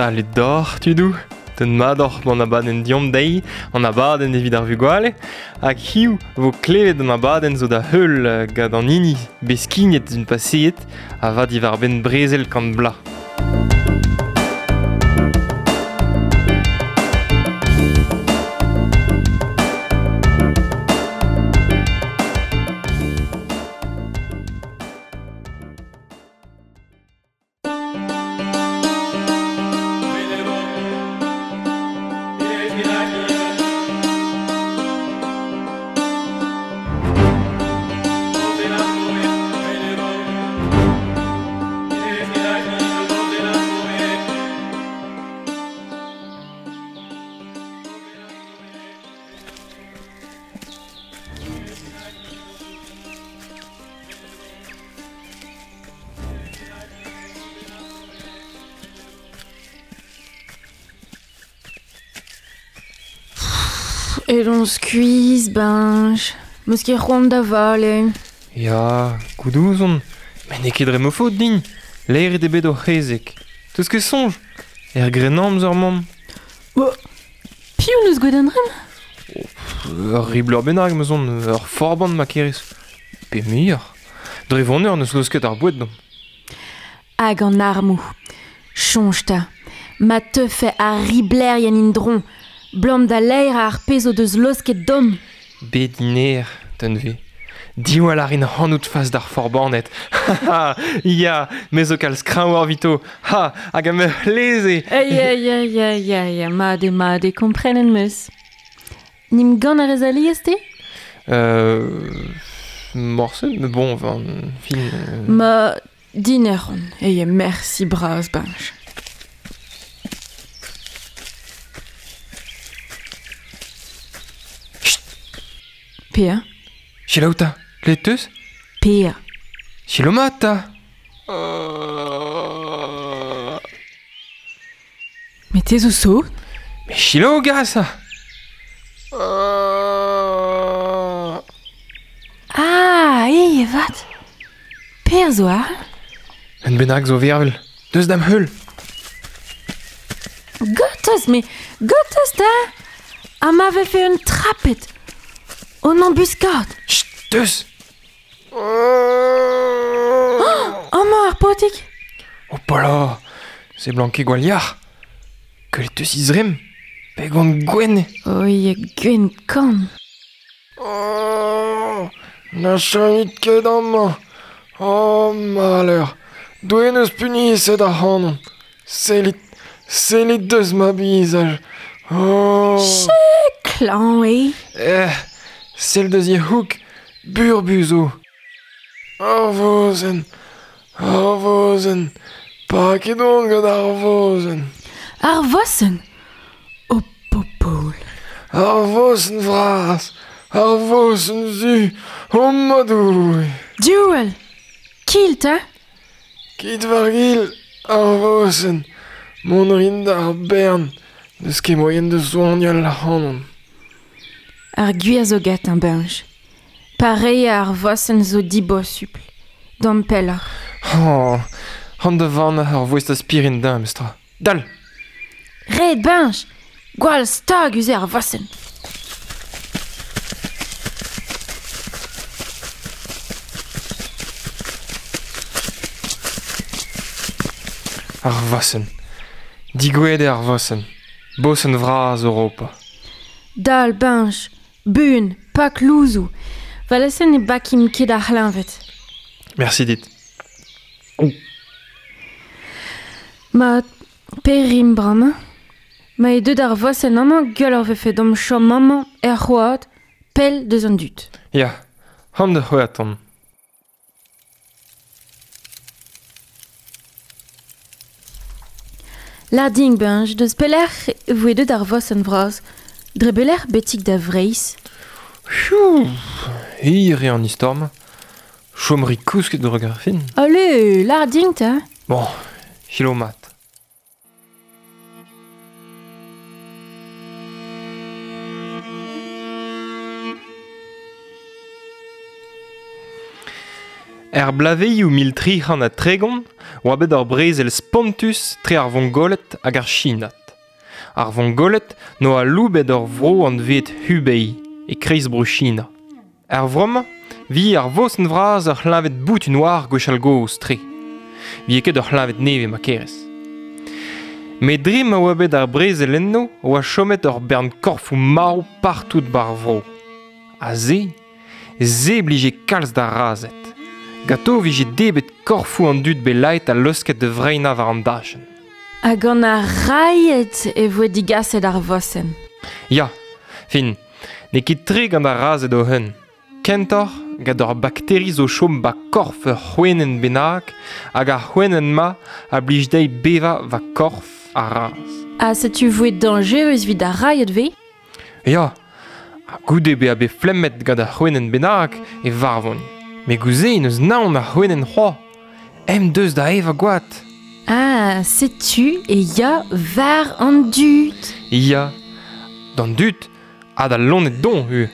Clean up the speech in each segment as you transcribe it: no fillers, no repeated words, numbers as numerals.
Salud deoc'h, tudoù. Den mat oc'h gant abadenn Deomp dezhi, an abadenn evit ar vugale. Hag hiziv vo klevet an abadenn zo da heul gant an hini bet skignet d'un paseet a va diwar-benn brezel kant bloaz. Edon skuizh, Beñj. 'Meus ket c'hoant da vale. Ya, goût ouzon. Met n'eo ket dre ma faot din. Laeret eo bet hor c'hezeg. 'Teus ket soñj? Er Grennamzer, mamm. Piv 'neus gwelet an dremm? Ur ribler bennak, ma zon, ur forban ma kerez. Pe muioc'h. Dre voneur n'eus laosket ar boued deomp. Hag an armoù. Soñj 'ta, ma teufe ar riblerien en-dro, 'blam da laerañ ar pezh o deus laosket deomp. Bet iner, tenve. Diwall a rin ac'hanout fas d'ar forbaned. Ya, me zo kalz kreñvoc'h evito. Ha, hag am eus c'hleze. Ya, ya, ya, ya, ya, mat eo, mat eo, komprenet 'm eus. N'em gant a rez alies, te? Morse, mais bon, enfin, fin... Ma diner on, eo mersi bras, Benj. Chut Pea? Selaou 'ta, klevet 'teus? Pea. Selaou mat 'ta. Met te zo sot? Mais selaou gas Ah, eo avat. Per zo aze? Un bennak zo vervel. Deus da'm heul. Gortoz, me, gortoz 'ta! Ha ma vefe un traped On embuscade. Chut, deus Amañ ar paotrig. Hopala, seblant ket gwall yac'h. Gwelet 'teus he zremm? Pegont gwenn eo. Oi, gwenn kan. Oh, na chomit ket amañ. Oh, maleur. Doue 'neus puniset ac'hanon. Sellit, sellit deus ma bizaj. Oh. Klañv eo. Eh, sell deus he c'houg, burbuz zo. Ar vozenn, ar vozenn, paket on gant ar vozenn. Ar vosenn O popol. Ar vosenn vras, ar vosenn zu, oh ma Doue. Duel Kilt, 'ta Kit war-gil, ar vosenn. Mont 'rin d'ar bern. N'eus ket moaien da soagnal ac'hanon. Ar gwir zo gantañ, Benj. Pareiñ ar vosenn zo dibosupl. Dont pelloc'h. Oh, an da vann ar voest aspirin din, memestra. Dal! Ret, Benj! Gwall stagus eo ar vosenn. Ar vosenn. Digouezhet eo ar vosenn. Bosenn vras Europa. Dal, Benj! Buan, pak louzoù. Valese ne bakimp ket ar c'hleñved. Merci dit. Mat, perimp bremañ. Ma eo deuet ar vosenn amañ, gwelloc'h 'vefe deomp chom amañ er c'hoad, pell deus an dud. Ya, an da c'hweraton. Lâr din, Benj, deus pelec'h e voe deuet ar vosenn vras? Dre belec'h betek da Vreizh? Pfiou, hir eo an istor-mañ. Chom 'rit kousket droug ar fin. Allez, lâr din 'ta. Bon, selaou mat. Er blaveioù 1330 oa bet ur brezel spontus tre ar Vongoled hag ar Chinat. Ar Vongoled no aloubet ur vro anvet Hubei e kreiz bro China. Er vro-mañ vi ar vosenn vras ur c'hleñved boutin war gwechall gozh tre. Vi ket ur c'hleñved nevez ma kerez. Met dre ma oa bet ar brezel enno oa chomet ur bern korfoù marv partout bar vro. Ha se, se blije kalz d'ar razed. Gato vije debet korfoù an dud bet laet ha leusket da vreinañ war an dachenn. Hag gant ar railhed e voe digaset ar vosenn. Ya, fin, n'eo ket tre gant ar razed o-hun. Kentoc'h, gant ur bakteri zo chom ba korf ur c'hwenenn bennak hag ar c'hwenenn-ma a blij dezhi bevañ va korf ar raz. Ha setu voe dañjerus evit ar railhed 'vez? Ya, ha goude bezañ bet flemmet gant ar c'hwenenn bennak e varvont. Met gouze n'eus naon ar c'hwenenn c'hoazh. Em deus da evañ gwad. Ah, setu e ya war an dud. Ya, d'an dud ha d'al loened doñv ivez.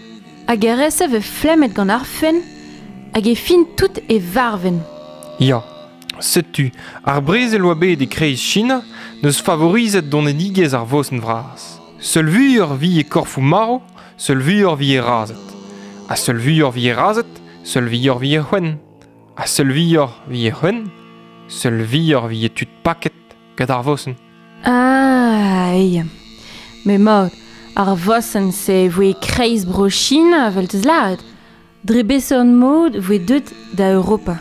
Hag ar re-se vez flemmet gant ar fenn hag e fin tout e varven. Ya, setu, ar brezel oa bet e-kreiz China n'eus favorizet donedigezh ar vosenn vras. Seul vuioc'h vi e korfoù marv, seul vuioc'h vi e razhed. Ha seul vuioc'h vi e razhed, seul vuioc'h vi e c'hwenn. Ha seul vuioc'h vi e c'hwenn, seul vuioc'h vi e tud paket gant ar vosenn. Ah, ya. Met mat, ar vosenn-se voe e-kreiz Bro-China, evel 'teus lâret. Dre beseurt mod voe deuet da Europa?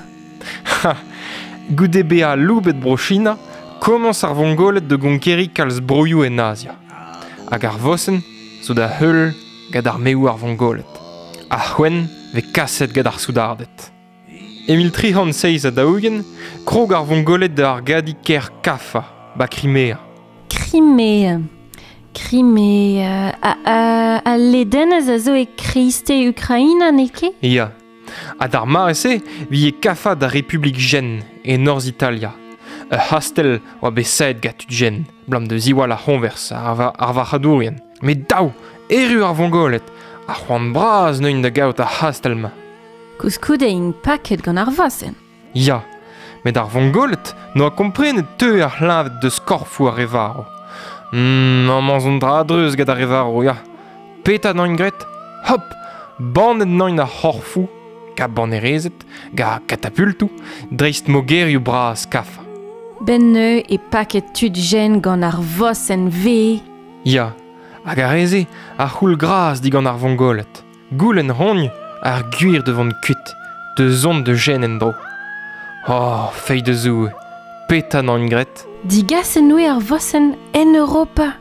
Ha, goude bezañ aloubet Bro-China, komañs ar Vongoled da gonkeriñ kalz broioù en Azia. Hag ar vosenn zo da heul gant armeoù ar Vongoled. Ar c'hwenn vez kaset gant ar soudarded. E 1347, krog ar Vongoled da argadiñ kêr Kaffa, ba Krimea. Krimea. Krimea. Al ledenez a zo e kreisteiz Ukraina, n'eo ket? Ya. Ha d'ar mare-se 'vije Kaffa da Republik Jen, e norzh Italia. Ur c'hastell oa bet savet gant tud Jen, 'blam da ziwall ar c'hoñvers ar varc'hadourien. Met dav, erru ar Vongoled, ha c'hoant bras neuint da gaout ar c'hastell-mañ. Koulskoude int paket gant ar vosenn. Ya, met ar Vongoled n'oa komprenet teu ar c'hleñved deus korfoù ar re varv. Amañ zo un dra a-dreuz gant ar re varv, ya. Petra 'naint graet? Hop, bannet 'naint ar c'horfoù, gant bannerezed, gant katapultoù, dreist mogerioù bras Kaffa. 'Benn neuze e paket tud jen gant ar vosenn V. Ya, hag ar re-se a c'houl gras digant ar Vongoled. Goulenn rogn ar gwir da vont kuit, da zont da jen en-dro. Oh, feiz da Zoue, petra 'naint graet? Digaset 'noe ar vosenn en Europa.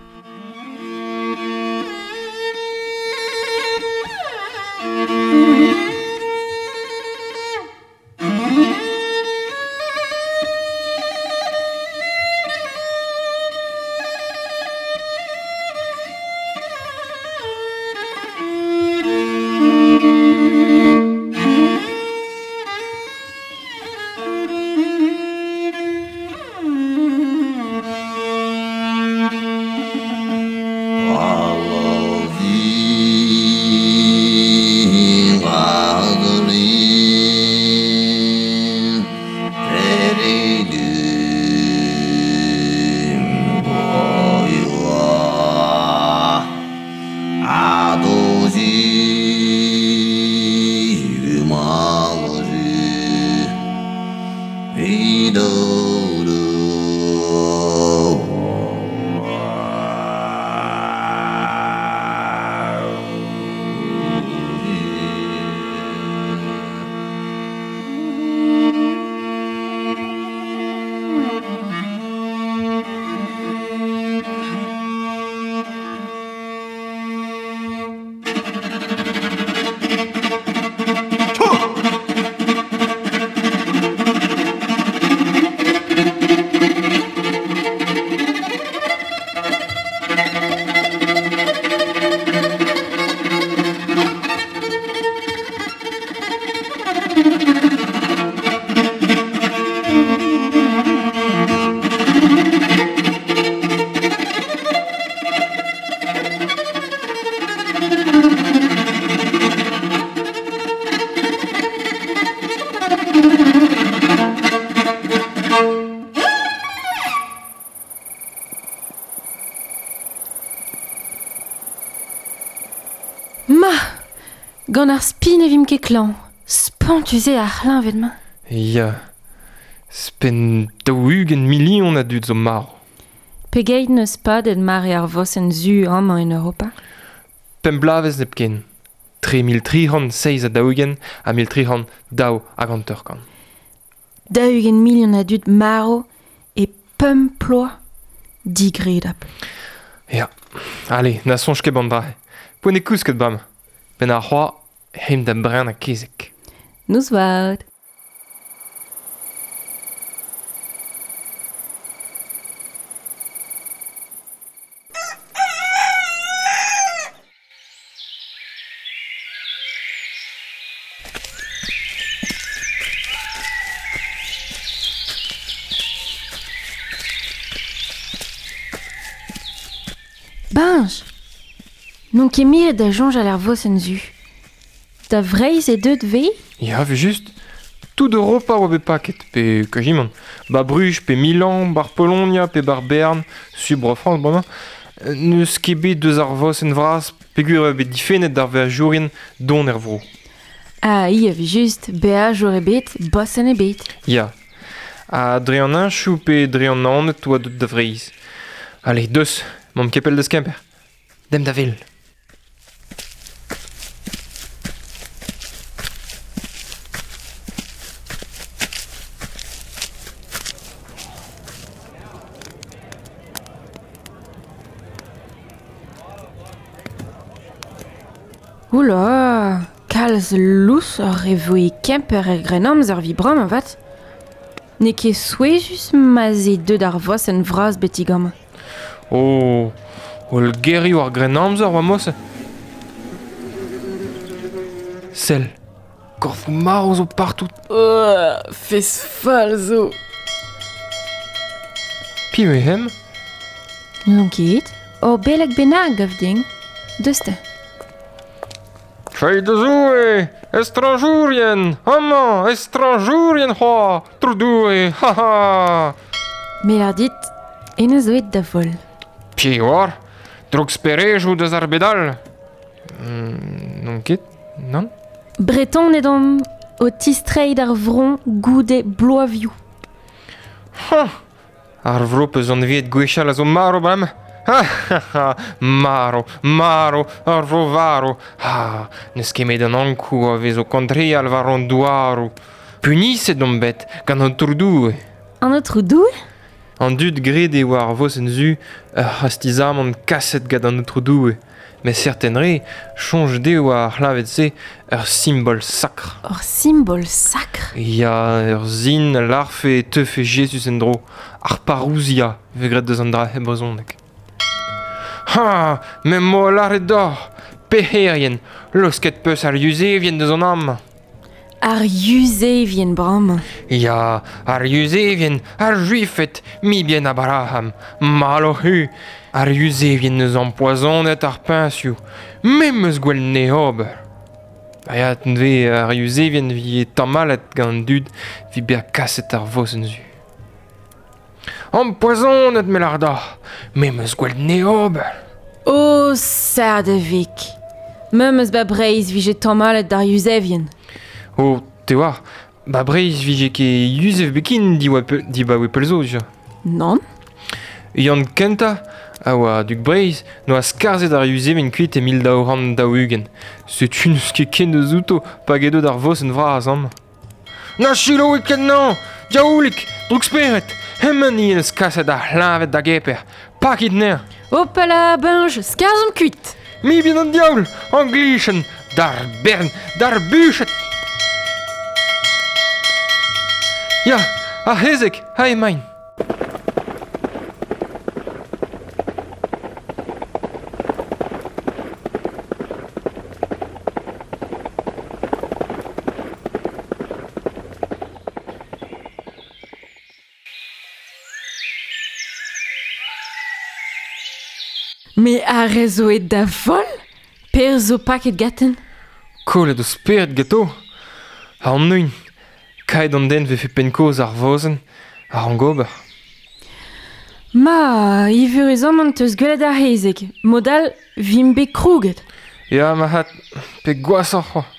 Ma, gant ar spi ne vimp ket klañv. Spontus eo ar c'hleñved-mañ. Ya, 'spenn 40 milion a dud zo marv. Pegeit n'eus padet mare ar vosenn zu amañ en Europa? Pemp bloavezh hepken. Tre 1347 ha 1352. 40 milion a dud marv e pemp ploaz digredapl. Ya, ale, na soñj ket ban dra-se. Poent eo kousket bremañ. Benn ar c'hoaz, aimp da brenañ kezeg. Noz vat. Beñj! N'on ket miret da soñjal er vosenn zu. Da Vreizh eo deuet 'vez? Ya, 'vel-just. Tout Europa a oa bet paket, pe kazimant. Ba Bruges, pe Milan, bar Polonia, pe bar Bern, su Bro-Frañs bremañ. N'eus ket bet deus ar vosenn vras peogwir e oa bet difennet d'ar veajourien dont er vro. Ah, i evel-just, beajour ebet, bosenn ebet. Ya. Ha dre an heñchoù pe dre an Naoned oa deuet da Vreizh. Ale, deus, 'maomp ket pell deus Kemper. Demp da wel. Oula, kalz lousoc'h e voe Kemper er Grennamzer evit bremañ avat. N'eo ket souezhus ma'z eo deuet ar vosenn vras betek amañ. Oh, holl gerioù ar Grennamzer oa mosse. Sell, korfoù marv zo partout. Oh, fez fall zo. Piv eo hemañ? N'on ket. Ur beleg bennak, gav din. Deus 'ta. Feiz da Zoue! Estrañjourien! Amañ, estrañjourien c'hoazh! Tro Doue! Ha ha! Me 'lar dit, hennezh zo aet da voll. Piv 'oar? Drouk-sperejoù deus ar bed all? N'on ket, nann. Bretoned omp o tistreiñ d'ar vro goude bloavioù. Hañ! Ar vro 'peus anveet gwechall a zo marv bremañ. Ha ha ha! Marv, marv, ar vro varv. Ha n'eus ket met an Ankoù a vez o kantreal war an douaroù. Puniset omp bet gant an Aotrou Doue. An Aotrou Doue? An dud graet eo ar vosenn zu ur c'hastizamant kaset gant an Aotrou Doue. Met serten re, soñj dezho ar c'hleñved-se ur simbol sakr. Ur simbol sakr? Ya, ur sin a lârfe e teufe Jezuz en-dro. Ar parousia 'vez graet deus an dra e brezhoneg. Ha, me 'm boa lâret deoc'h, pec'herien, laosket 'peus ar Yuzevien deus an amañ. Ar Yuzevien bremañ. Ya, ar Yuzevien, ar Juifed, mibien Abraham, mall oc'h-hu. Ar Yuzevien 'neus ampoazonet ar peñsioù. Me 'm eus gwell 'ne ober. Ha ya, neuze ar Yuzevien 'vije tamallet gant an dud 'vit bezañ kaset ar vosenn zu. Ampoazonet, me 'lar deoc'h, me 'm eus gwell 'ne ober. Oh, Sardevik! Memes 'ba Breizh 'vije tamallet d'ar Yuzevien. Oh, te oar, 'ba Breizh 'vije ket Yuzev biken dibaoe pell zo dija. Nann. Yann kentañ a oa dug Breizh 'noa skarzhet ar Yuzevien kuit e 1240. Setu n'eus ket ken deus outo pa gedo d'ar vosenn vras amañ. Na selaouit ket 'nañ! Diaoulig! Droukspered! Hemañ 'ni 'neus kaset ar c'hleñved da Gemper. Pakit 'nezhañ! Hopala, Beñj, skarzhomp kuit! Mibien an diaoul! Anglichenn! D'ar bern! D'ar buched! Ya, ar c'hezeg, aze emaint! Me ar re zo aet da voll? Per zo paket ganten? Kollet o spered ganto. An neun. Kaet an den 'vefe penn-kozh ar vosenn a rank ober. Ma, evuruzamant 'teus gwelet ar c'hezeg. Mod all 'vimp bet krouget. Ya, ma hat, pe gwashoc'h c'hoazh.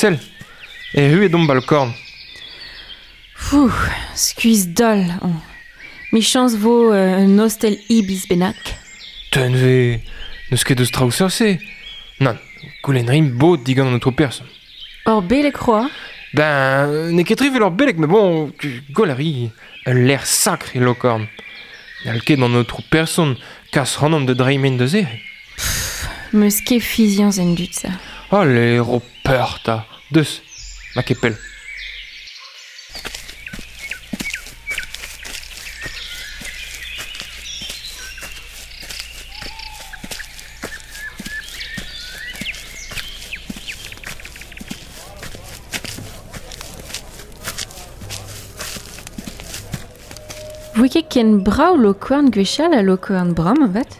Sell, erru eo domp balkorn. Fou, skuizh dall on. Michañs vo un ostel ibis bennak. Tenve, n'eus ket eus traoù seurt-se. Nann, goulenn rimp bod digant an aotrou person. Ur beleg c'hoazh? Ben, n'eo ket tre vel ur beleg, met bon, gwell a ri. Ul lec'h sakr eo Lokorn. N'hall ket an aotrou person kas ac'hanomp da dremen da se. Meus ket fiziañs en dud-se. Allez, ro peur 'ta. Deus, ma ket pell. Voe ket ken brav Lokorn gwechall ha Lokorn bremañ avat.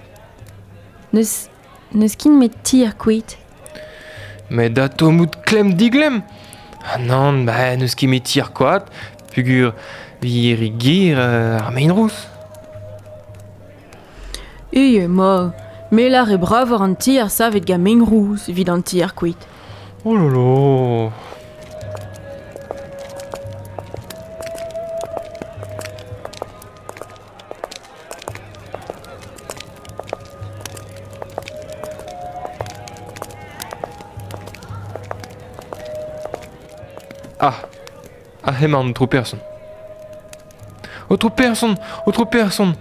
N'eus, n'eus kin met ti ar koad. Met atao mout klemm diglemm. Ah nann, ba n'eus ket met ti ar koad, peogwir vi re ger ar mein rous. Eo, ma, me lâr eo bravoc'h an tier savet gant mein rous evit an tier koad. Oh là là. Ah, ah emañ an aotrou person. Aotrou person, aotrou person,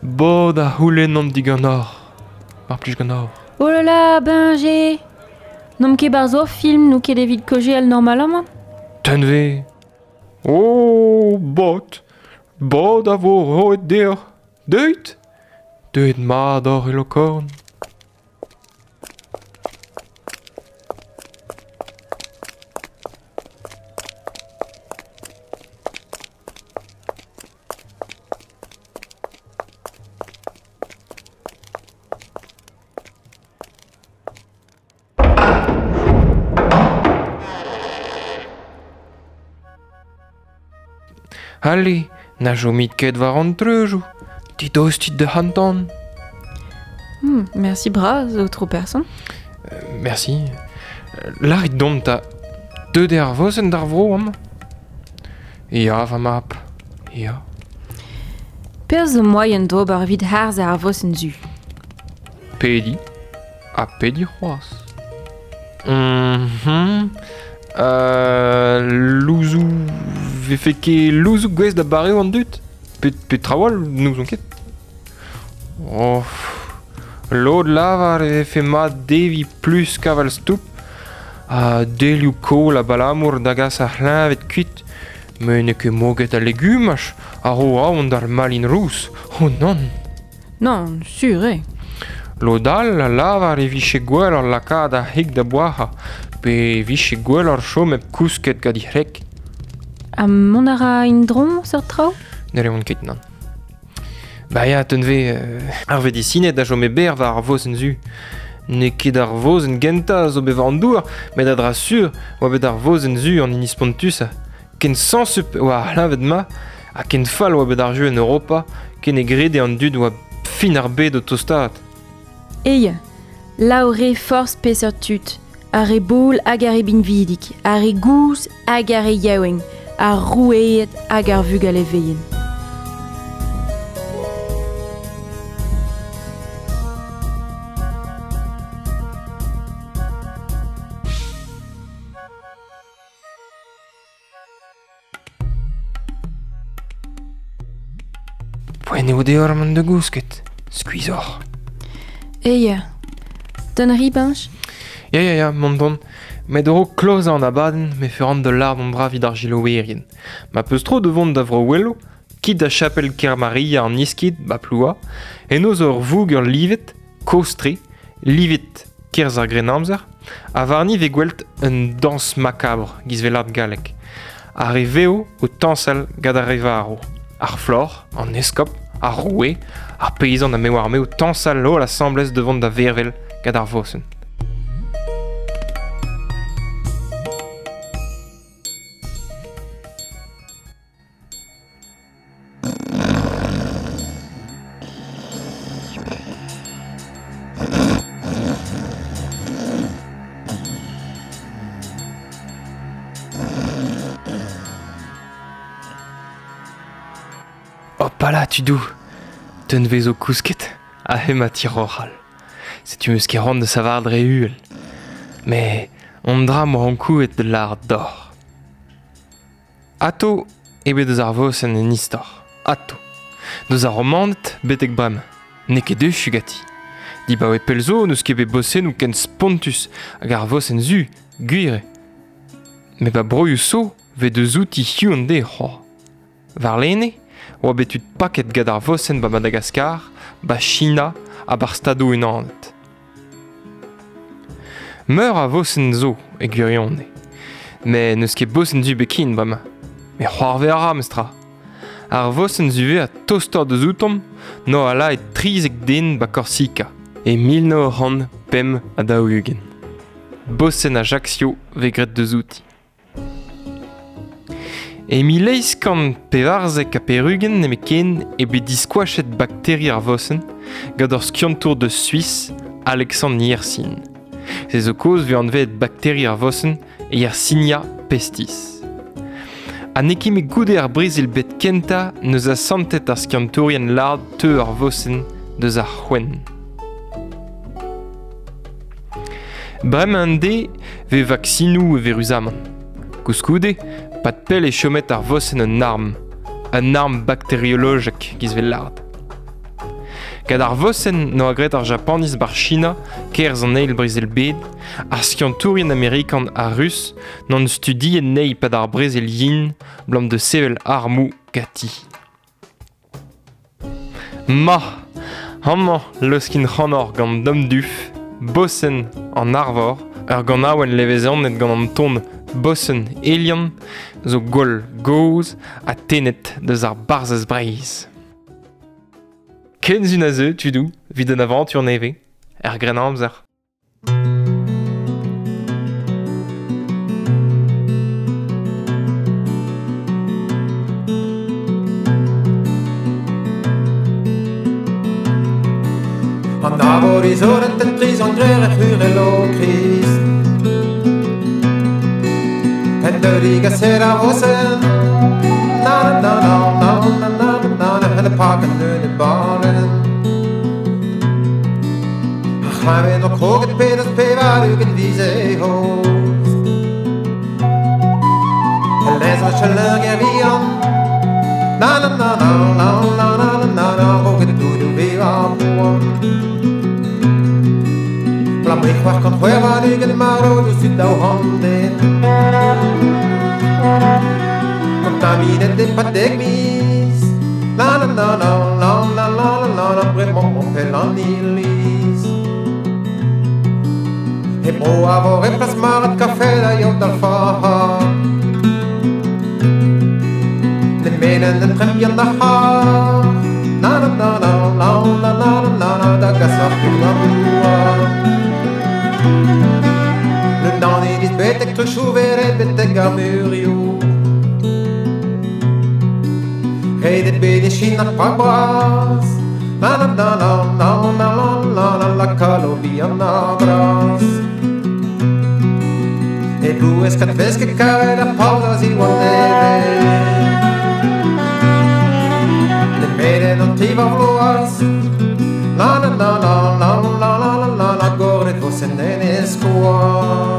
bod a c'houlennan diganeoc'h, mar plij ganeoc'h. Oh là là, ben j'ai... N'omp ket 'barzh hor film, n'on ket evit kaozeal normalamant. Tenve. Oh, bod, bod a vo roet deoc'h. Deuit, deuet mat oc'h e Lokorn. Ale, na chomit ket war an treujoù. Didostit da hantan. Merci bras, aotrou person. Merci. Lârit dont 'ta. Deuet eo ar vosenn d'ar vro amañ? Ya, va mab, ya. Perzh zo moaien d'ober evit harzañ ar vosenn zu. Pediñ ha pediñ c'hoazh. Louzoù 'vefe ket louzoù gouest da bareoù an dud? Pe traoù all, n'ouzon ket. Oh, lod lavar e vefe mat deviñ plusk aval-stoup ha delioù kaol abalamour da gas ar c'hleñved kuit. Met n'eo ket moged al legumaj a ro aon d'ar malin rous. Oh nann! Nann, sur eo. Lod all a lavar e vije gwelloc'h lakaat ar c'hig da boazhañ pe e vije gwelloc'h chom hep kousket gant he c'hreg. Ha mont a ra en-dro seurt traoù? Ne reont ket, nann. Ba ya, tenve, ar vedisined a chome berr war ar vosenn zu. N'eo ket ar vosenn gentañ a zo bet war an douar, met a-dra-sur oa bet ar vosenn zu an hini spontusañ. Ken sañsup e oa ar c'hleñved-mañ ha ken fall oa bet ar jeu en Europa ken e grede an dud oa fin ar bed o tostaat. Eya, laoure forzh peseurt tud, ar re bobl hag ar re binvidik, ar re gozh hag ar re yaouank, ar roueed hag ar vugale vihan. Poent eo deoc'h mont da gousket. Skuizh oc'h. Eya, Don Ribench? Ya, ya, ya, mont don. Met a-raok klozañ an abadenn, me feran da lâret an dra evit ar selaouerien. Ma peus tro da vont da Vro-Oueloù, kit da chapel Kermaria an Iskid, ba Ploua. Eno zo ur voger livet, kozh-tre, livet kerzh ar Grennamzer, ha warni vez gwel't un dañs makabr giz velad gallek. Ar re vev o tañsal gant ar re varv. Ar floc'h, an eskob, ar roue, ar peizant ha me oar me o tañsal holl asambles da vont da vervel gant ar vosenn. Hopala tudoù, teun 'vezo kousket ha hemañ tiroc'hal. Setu 'meus ket c'hoant da savar dre uhel. Met an dra 'moa ankouaet da lâret deoc'h. Atao eo bet eus ar vosenn en istor, atao. Deus ar Romaned betek bremañ, n'eo ket echu ganti. Dibaoe pell zo n'eus ket bet bosennoù ken spontus hag ar vosenn zu, gwir eo. Met ba broioù zo 'vez deus outi hiziv an deiz c'hoazh. Warlene oa bet tud paket gant ar vosenn ba Madagaskar, ba China ha ba'r Stadoù-Unanet. Meur a vosenn zo e gwirionez. Met n'eus ket bosenn zu bet ken bremañ. Met c'hoarvez a ra memestra. Ar vosenn zuve a tostoc'h deus outomp no a la e 13 den ba Korsika e 1945. Bosenn Ajaccio vez graet deus outi. E 1894 nemetken eo bet diskoachet bakteri ar vosenn gant ur skiantour deus Suis, Alexandre Yersin. Se zo kaoz 'vez anvet bakteri ar vosenn Yersinia pestis. Ha n'eo ket met goude ar brezel bet kentañ n'eus asantet ar skiantourien lard teu ar vosenn deus ar c'hwenn. Bremañ an deiz 'vez vaksinoù eüruzamant. Koulskoude, pad pell eo chomet ar vosenn un arm, un arm bakteriolojek giz 'vez lâret. Gant ar vosenn 'noa graet ar Japaniz 'bar China 'kerzh an eil brezel-bed, ar skiantourien amerikan ha rus n'ont studiet anezhi 'pad ar brezel yin 'blam da sevel armoù ganti. Ma, amañ leuskin ac'hanoc'h gant Dom Duff, Bosenn an Arvor, ur ganaouenn levezonet gant an ton Bosenn Elian, zo gwall gozh ha tennet deus ar Barzhaz Breizh. Ken a zeu, tudoù, 'vit un avantur nevez, er Grennamzer. An arvor izoret en prizon grer e c'hurel o Krist. En deurig a ser a vosen. Na na na na na na na na na en paken nu de balen. Ar c'hlaven o kroget pedet pevar ugent vize host. El lez a chaleur vian. Na na na na na na na na na roget doudou veva poan. Blam ich war kant c'hwer war ugent maro deus tud daou handen. Kontaminet e pad dek miz. Na na na na na na na na na bremañ on pell an iliz. E bro a vo e plas marat kafe da yaou d'al faha. Ne menen en trem bihan da c'har. Na na na na na na na na na da gas ar ful an douar. Le dan iliz betek truchouveret betek ar murioù. Redet bet e China pa bras. Na na na na na na na na la kalo bihan ar bras. E blouez kat vesk e kavet ar paoz a ziwan evel. Ne melen an tri war vloaz. Na na na na na na na na na goret vosenn en e skoaz.